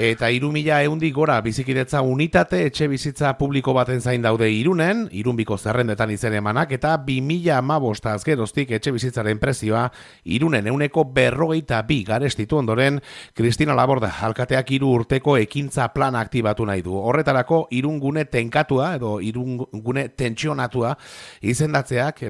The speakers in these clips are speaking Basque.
Eta 3.100 gora bizikidetza unitate etxe bizitza publiko baten zain daude Irunen, Irunbiko zerrendetan izen emanak, eta 2015 azgeroztik etxe bizitzaren prezioa Irunen 142 garestitu ondoren, Kristina Laborda alkateak 3 urteko ekintza plana aktibatu nahi du. Horretarako Irungune tenkatua edo Irungune tentsionatua izendatzeak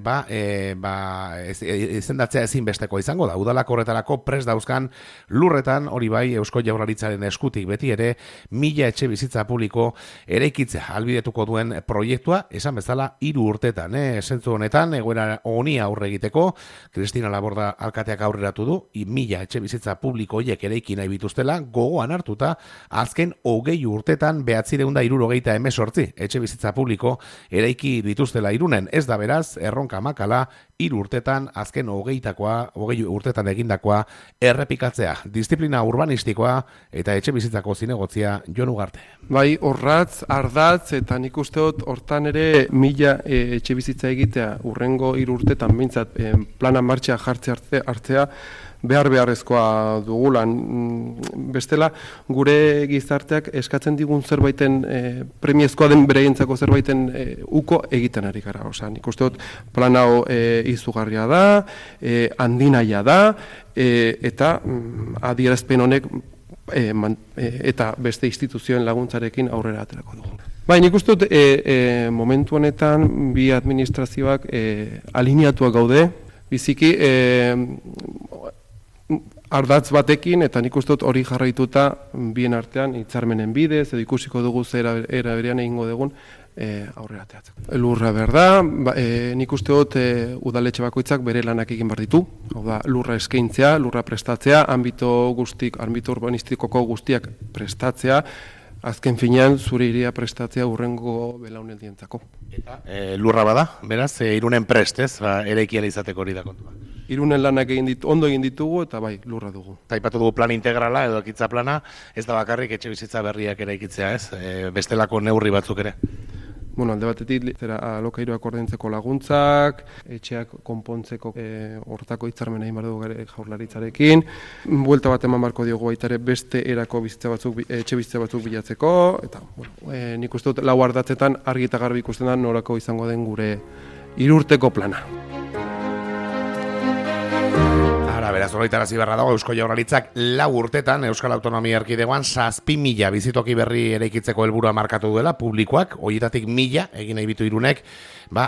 izendatzea ezinbesteko izango da. Udalak horretarako prest dauzkan lurretan, hori bai Eusko Jaurlaritzaren eskutik beti ere 1000 etxe bizitza publiko eraikitzea albidetuko duen proiektua, esan bezala 3 urtetan. Zentzu honetan, egoera honi aurre egiteko, Kristina Laborda alkateak aurreratu du, 1000 etxe bizitza publiko horiek eraiki nahi bituztela, gogoan hartuta, azken 20 urtetan 978 etxe bizitza publiko eraiki dituztela Irunen. Ez da beraz, erronka makala, 3 urtetan, azken 20 urtetan egindakoa errepikatzea. Disiplina urbanistikoa eta etxe bizitzako zinegotzia Jon Ugarte. Bai, orratz, ardatz, eta nik uste dut hortan ere 1000 etxe bizitza egitea urrengo 3 urtetan bintzat plana martxea hartzea beharrezkoa dugulan. Bestela, gure gizarteak eskatzen digun zerbaiten premiezkoa den bereientzako zerbaiten uko egiten ari gara. Osea, nik uste dut plan hau izugarria da, handinaia da, eta adierazpen honek eta beste instituzioen laguntzarekin aurrera aterako dugu. Bai, nik uste dut momentu honetan bi administrazioak alineatuak gaude, biziki ardatz batekin, eta nik uste dut hori jarraituta bien artean hitzarmenen bidez, edo ikusiko dugu era berean egingo dugun aurrera ateratzeko. Lurra behar da, nik uste dut udaletxe bakoitzak bere lanak egin behar ditu, hau da, lurra eskaintzea, lurra prestatzea, ambito urbanistikoko guztiak prestatzea, azken finean zure iria prestatzea urrengo belaunaldientzako. Eta lurra bada, beraz, Irunen prest, ez, eraikia izateko hori da kontua. Irunen lanak ondo egin ditugu eta bai, lurra dugu. Taipatu dugu plan integrala edo ekitza plana, ez da bakarrik etxe bizitza berriak eraikitzea, ez? Bestelako neurri batzuk ere. Bueno, alde batetik, alokairuak ordaintzeko laguntzak, etxeak konpontzeko hortako hitzarmena egin behar dugu Jaurlaritzarekin, buelta bat eman beharko diogu baita ere beste erako etxe bizitza batzuk bilatzeko, eta nik uste dut 4 ardatzetan argi eta garbi ikusten da norako izango den gure 3 urteko plana. Beraz, horretarazi beharra dago Eusko Jaurlaritzak 4 urtetan Euskal Autonomia Erkidegoan 7.000 bizitoki berri eraikitzeko helburua markatu duela publikoak, horietatik 1.000 egin nahi bitu Irunek,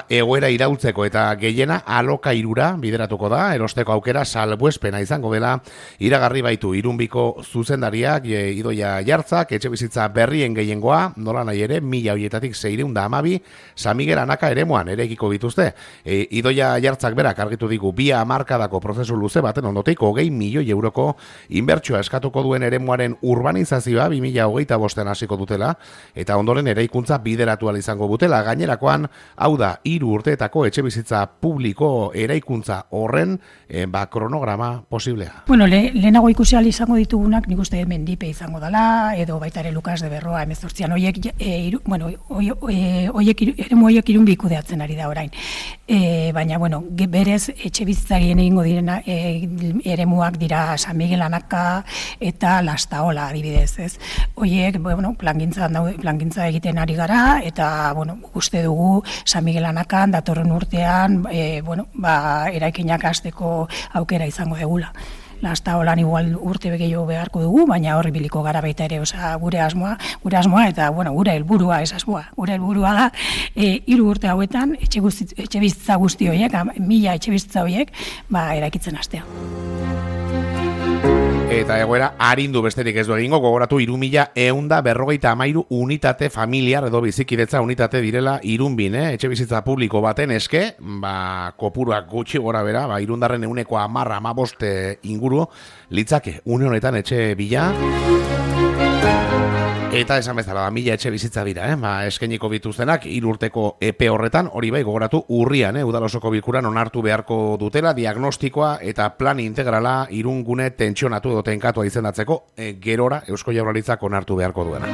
egoera iraultzeko eta gehiena alokairura bideratuko da, erosteko aukera salbuespena izango dela, iragarri baitu Irunbiko zuzendariak, Idoia Jartzak, etxe bizitza berrien gehiengoa, nola nahi ere, 1000 horietatik 612 San Miguel Anaka eremuan eraikiko bituzte. Idoia Jartzak berak argitu digu 2 hamarkadako prozesu luze baten ondotik 20 milioi euroko inbertsioa eskatuko duen eremuaren urbanizazioa 2025 hasiko dutela, eta ondoren eraikuntza bideratu ahal izango dutela. Gainerakoan, hau da 3 urteetako etxe bizitza publiko eraikuntza horren kronograma posiblea. Bueno, lehenago ikusi ahal izango ditugunak, nik uste Mendipe izango dela, edo baita ere Lukas de Berroa 18an, eremu horiek Irunbi kudeatzen ari da orain. Baina, berez etxe bizitzarien egingo direna eremuak dira San Miguel Anaka eta Lastaola adibidez, ez? Horiek, plangintza egiten ari gara, eta, uste dugu San Miguel Anakan datorren urtean, eraikinak hasteko aukera izango degula. Lastaolan igual urte gehiago beharko dugu, baina horri biliko gara baita ere, gure asmoa eta gure helburua ez asmoa. Gure helburua da 3 urte hauetan etxe bizitza guzti horiek, 1000 etxe bizitza horiek, eraikitzen hastea. Eta egoera arindu besterik ez du egingo, gogoratu 3153 unitate familiar edo bizikidetza unitate direla Irunbin, etxe bizitza publiko baten eske, kopuruak gutxi gora bera, Irundarren 10-15 inguru litzake une honetan etxe bila. Eta esan bezala, 1000 etxe bizitza dira, eskainiko bituztenak 3 urteko epe horretan, hori bai gogoratu urrian, udal osoko bilkuran onartu beharko dutela, diagnostikoa eta plan integrala Irungune tentsionatu edo tenkatua izendatzeko, gerora Eusko Jaurlaritzak onartu beharko duena.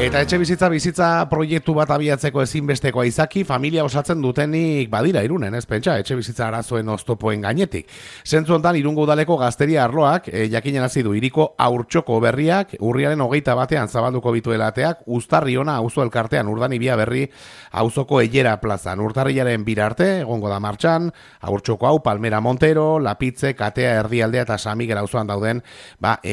Eta etxe bizitza proiektu bat abiatzeko ezinbestekoa izaki, familia osatzen dutenik badira Irunen, ez pentsa, etxe bizitza arazoen oztopoen gainetik. Zentzu hontan Irungo udaleko gazteria arloak, jakinen hasi du hiriko Haurtxoko berriak, urriaren 21 zabalduko bituela ateak, Uztarriona auzo elkartean Urdanibia berri auzoko Eilera plazan. Urtarrilaren 2 arte, egongo da martxan, Haurtxoko hau, Palmera Montero, Lapitze, Katea, Erdialdea eta San Miguel auzoan dauden,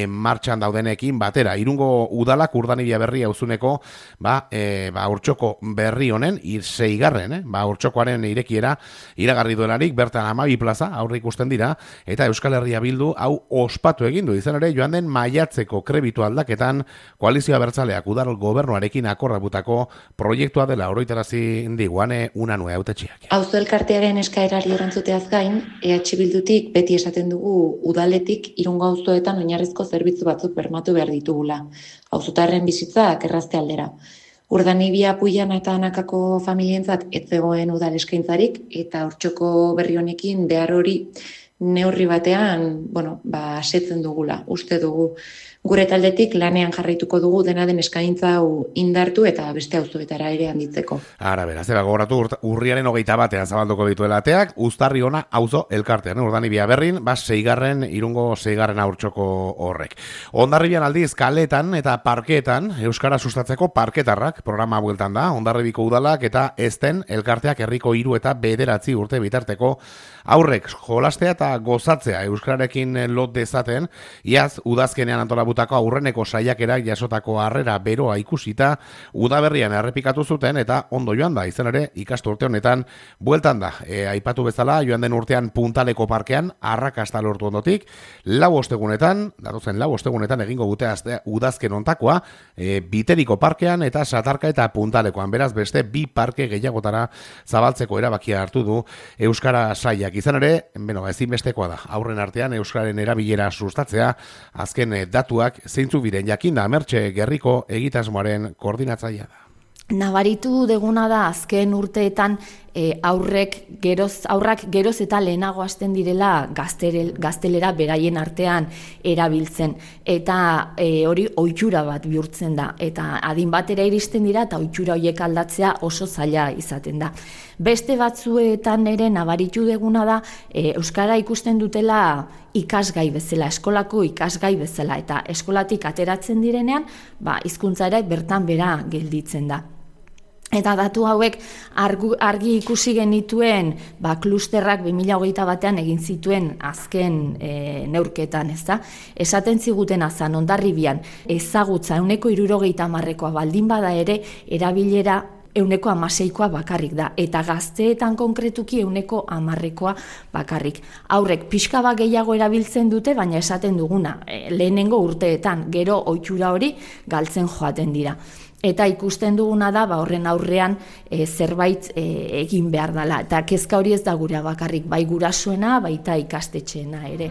martxan daudenekin batera. Irungo udalak Urdanibia berri auzuneko Haurtxoko berri honen 6. Haurtxokoaren irekiera iragarri duelarik bertan 12 plaza aurre ikusten dira eta Euskal Herria Bildu hau ospatu egin du. Izan ere joan den maiatzeko krebitu aldaketan koalizioa bertzaleak udal gobernuarekin akordatutako proiektua dela oroitarazi diguane Unanue hautetxiak. Auzo elkartearen eskaerari erantzuteaz gain, EH Bildutik beti esaten dugu udaletik Irungo auzoetan oinarrizko zerbitzu batzuk bermatu behar ditugula. Auzotarren bizitzak errazte aldera. Urdanibia, Puiana eta Anakako familientzat ez zegoen udal eskaintzarik eta Haurtxoko berri honekin behar hori neurri batean, asetzen dugula, uste dugu. Gure taldetik lanean jarraituko dugu dena den eskaintza hau indartu eta beste auzoetara ere handitzeko. Ara, beraz, gogoratu urriaren 21 zabalduko dituela ateak, Uztarriona auzo elkartean, Urdanibia berrin, 6. Irungo 6. Haurtxoko horrek. Hondarribian aldiz kaletan eta parkeetan, euskara sustatzeko parketarrak programa bueltan da, Hondarribiko udalak eta ezten elkarteak herriko 3 eta 9 urte bitarteko aurrek jolastea eta gozatzea euskararekin lot dezaten, iaz udazkenean antolabutako aurreneko saiakerak jasotako harrera beroa ikusita udaberrian errepikatu zuten eta ondo joan da, izan ere ikasturte honetan bueltan da. Aipatu bezala joan den urtean Puntaleko parkean arrakasta lortu ondotik, 4 ostegunetan, datozen 4 ostegunetan egingo dute udazken ontakoa, Biteriko parkean eta Satarka eta Puntalekoan, beraz beste 2 parke gehiagotara zabaltzeko erabakia hartu du euskara saiak. Izan ere, ezinbestekoa da, aurren artean euskararen erabilera sustatzea, azken datuak zeintzuk biren jakinda Mertxe Gerriko egitasmoaren koordinatzailea da. Nabaritu deguna da azken urteetan aurrak geroz eta lehenago hasten direla gaztelera beraien artean erabiltzen eta hori ohitura bat bihurtzen da eta adin batera iristen dira eta ohitura horiek aldatzea oso zaila izaten da. Beste batzuetan ere nabaritu deguna da euskara ikusten dutela ikasgai bezala, eskolako ikasgai bezala eta eskolatik ateratzen direnean hizkuntza ere bertan bera gelditzen da. Eta datu hauek argi ikusi genituen klusterrak 2021 egin zituen azken neurketan, ezta? Esaten ziguten azan Hondarribian ezagutza 70%koa baldin bada ere erabilera 16%koa bakarrik da, eta gazteetan konkretuki 10%koa bakarrik. Aurrek pixka bat gehiago erabiltzen dute, baina esaten duguna, lehenengo urteetan, gero ohitura hori galtzen joaten dira. Eta ikusten duguna da, horren aurrean zerbait egin behar dela. Eta kezka hori ez da gura bakarrik, bai gurasoena, baita ikastetxeena ere.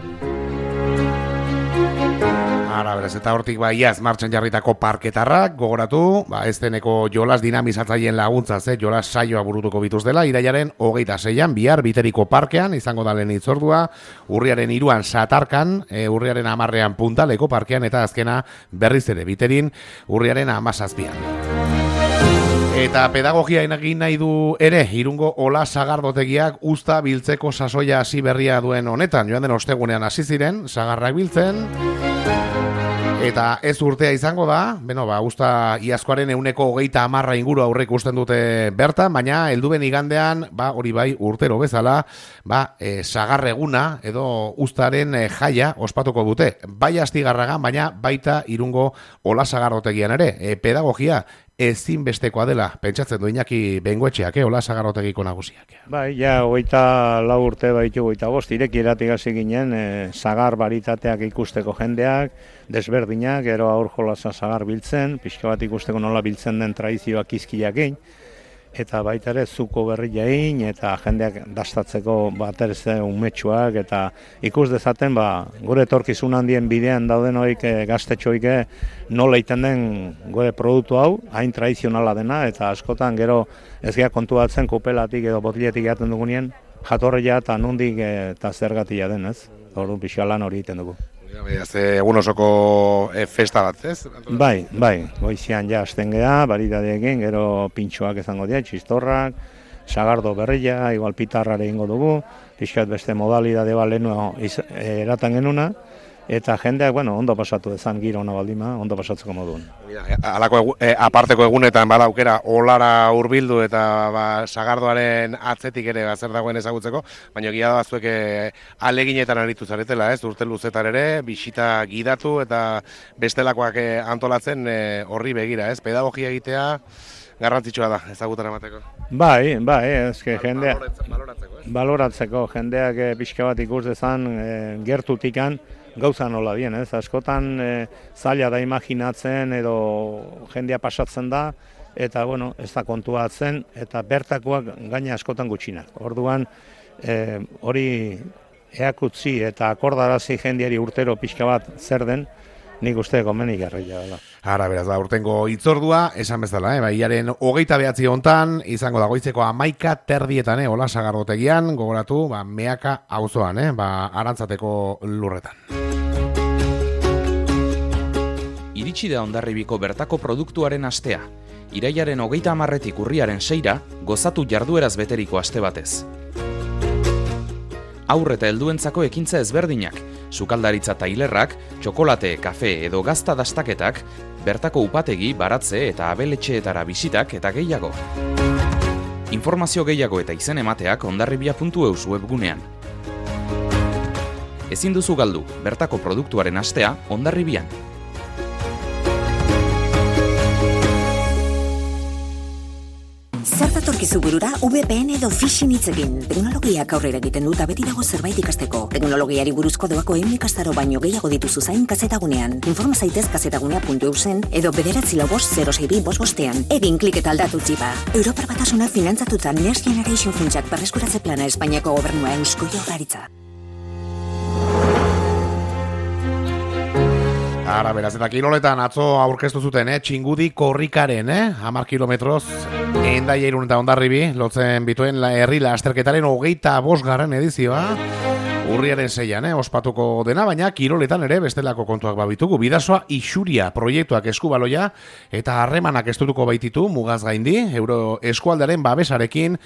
Ara, beraz, eta hortik iaz martxan jarritako parketarrak, gogoratu, ezteneko jolas dinamizatzaileen laguntzaz, jolas saioa burutuko bituz dela, irailaren 26an, bihar Biteriko parkean, izango da lehen itzordua, urriaren 3an Satarkan, urriaren 10an Puntaleko parkean, eta azkena berriz ere Biterin, urriaren 17an. Eta pedagogia egin nahi du ere, Irungo Ola sagardotegiak usta biltzeko sasoia hasi berria duen honetan, joan den ostegunean hasi ziren, sagarrak biltzen, eta ez urtea izango da, usta iazkoaren 130 inguru aurrek usten dute bertan, baina helduben igandean, hori bai urtero bezala, sagarreguna edo ustaren jaia ospatuko dute. Bai Astigarragan, baina baita Irungo Ola sagardotegian ere, pedagogia ezinbestekoa dela, pentsatzen du Iñaki Bengoetxeak, Ola sagardotegiko nagusiak. Bai, ja, 24 urte baitu 25, irekiratik hasi ginen, sagar baritateak ikusteko jendeak, desberdinak, gero aur jolasa sagar biltzen, pixka bat ikusteko nola biltzen den tradizioak izkiak egin, eta baita ere zuko berria egin, eta jendeak dastatzeko baterez umetxuak, eta ikus dezaten, gure etorkizun handien bidean dauden hoik gaztetxoik nola iten den gure produktu hau, hain tradizionala dena, eta askotan gero ez gea kontuatzen kupelatik edo botiletik jaten dugunien, jatorria eta nondik eta zergatia den, ez? Orduan pixka lan hori egiten dugu. Egun osoko festa bat, ez? Bai, goizian ja hasten gea, baridadeekin, gero pintxoak izango dira, txistorrak, sagardo berria, igual pitarrare ingo dugu, pixkat beste modalidade bat lehenu eratan genuna, eta jendeak, ondo pasatu dezan giro hona baldima, ondo pasatzeko moduen. Halako aparteko egunetan bada aukera olara hurbildu eta sagardoaren atzetik ere zer dagoen ezagutzeko, baina egia da zuek aleginetan aritu zaretela, ez? Urte luzetan ere, bisita gidatu eta bestelakoak antolatzen horri begira, ez? Pedagogia egitea garrantzitsua da, ezagutan emateko. Bai, ezke jendeak baloratzeko jendeak pixka bat ikus dezan gertutikan gauza nola dien, ez? Askotan zaila da imaginatzen edo jendea pasatzen da, eta ez da kontuatzen, eta bertakoak gaina askotan gutxinak. Orduan, hori eakutzi eta akordarazi jendeari urtero pixka bat zer den, nik uste komeni garrila dela. Ara, beraz, hitzordua, esan bezala, iaren 29 hontan, izango da goizeko 11:30, hola sagardotegian, gogoratu, Meaka auzoan, Arantzateko lurretan. Iritsi da Hondarribiko bertako produktuaren astea. Irailaren 30 urriaren 6 gozatu jardueraz beteriko aste batez. Haur eta helduentzako ekintza ezberdinak, sukaldaritza tailerrak, txokolate, kafe edo gazta dastaketak, bertako upategi, baratze eta abeletxeetara bisitak eta gehiago. Informazio gehiago eta izen emateak hondarribia.eus webgunean. Ezin duzu galdu, bertako produktuaren astea Hondarribian. Zer datorkizu burura VPN edo phishing hitzekin. Teknologiak aurrera egiten dut beti dago zerbait ikasteko. Teknologiari buruzko doako ikastaro baino gehiago dituzu zain kazetagunean. Informa zaitez kazetagunea.eusen edo 945062555. Egin klik eta aldatu txipa. Europar Batasunak finantzatuta Next Generation funtsak berreskuratze plana Espainiako gobernua Eusko Jaurlaritza. Ara, beraz, eta kiloletan atzo aurkeztu zuten, Txingudi korrikaren, 10 kilometroz, Hendaia Irun eta Hondarribi, lotzen bituen herri lasterketaren 25. edizioa, urriaren 6an, ospatuko dena, baina kiroletan ere bestelako kontuak babitugu. Bidasoa Ixuria proiektuak eskubaloia eta harremanak estutuko baititu mugaz gaindi, euro eskualdaren babesarekin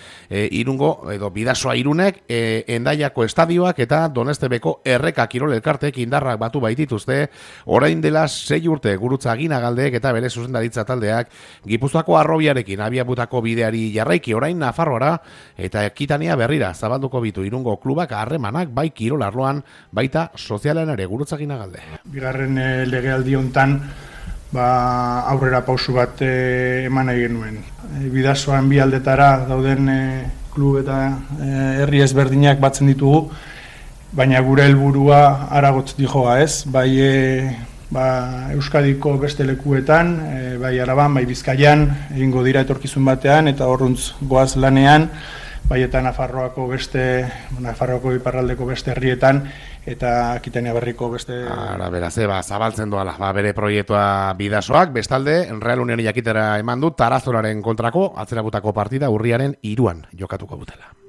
Irungo edo Bidasoa Irunek Hendaiako estadioak eta Donestebeko Erreka Kirol Elkartek indarrak batu baitituzte, orain dela 6 urte Gurutza Aginagaldeek eta bere zuzendaritza taldeak Gipuzkoako Arrobiarekin abiabutako bideari jarraiki orain Nafarroara eta Ekitania berrira zabalduko bitu Irungo klubak harremanak bai kirol arloan, baita sozialean ere Gurutza Aginagalde. Bigarren legealdi hontan aurrera pausu bat eman nahi genuen. Bidasoan bi aldetara dauden klub eta herri ezberdinak batzen ditugu, baina gure helburua haragotz dijoa, ez? Bai Euskadiko beste lekuetan, bai Araban, bai Bizkaian, egingo dira etorkizun batean, eta horruntz goaz lanean, bai eta Nafarroako iparraldeko beste herrietan, eta Akitania Berriko beste... Ara, beraz, zabaltzen doala, bere proiektua Bidasoak, bestalde, Real Unioni jakitera eman du, Tarazoraren kontrako, atzerabutako partida urriaren 3 jokatuko dutela.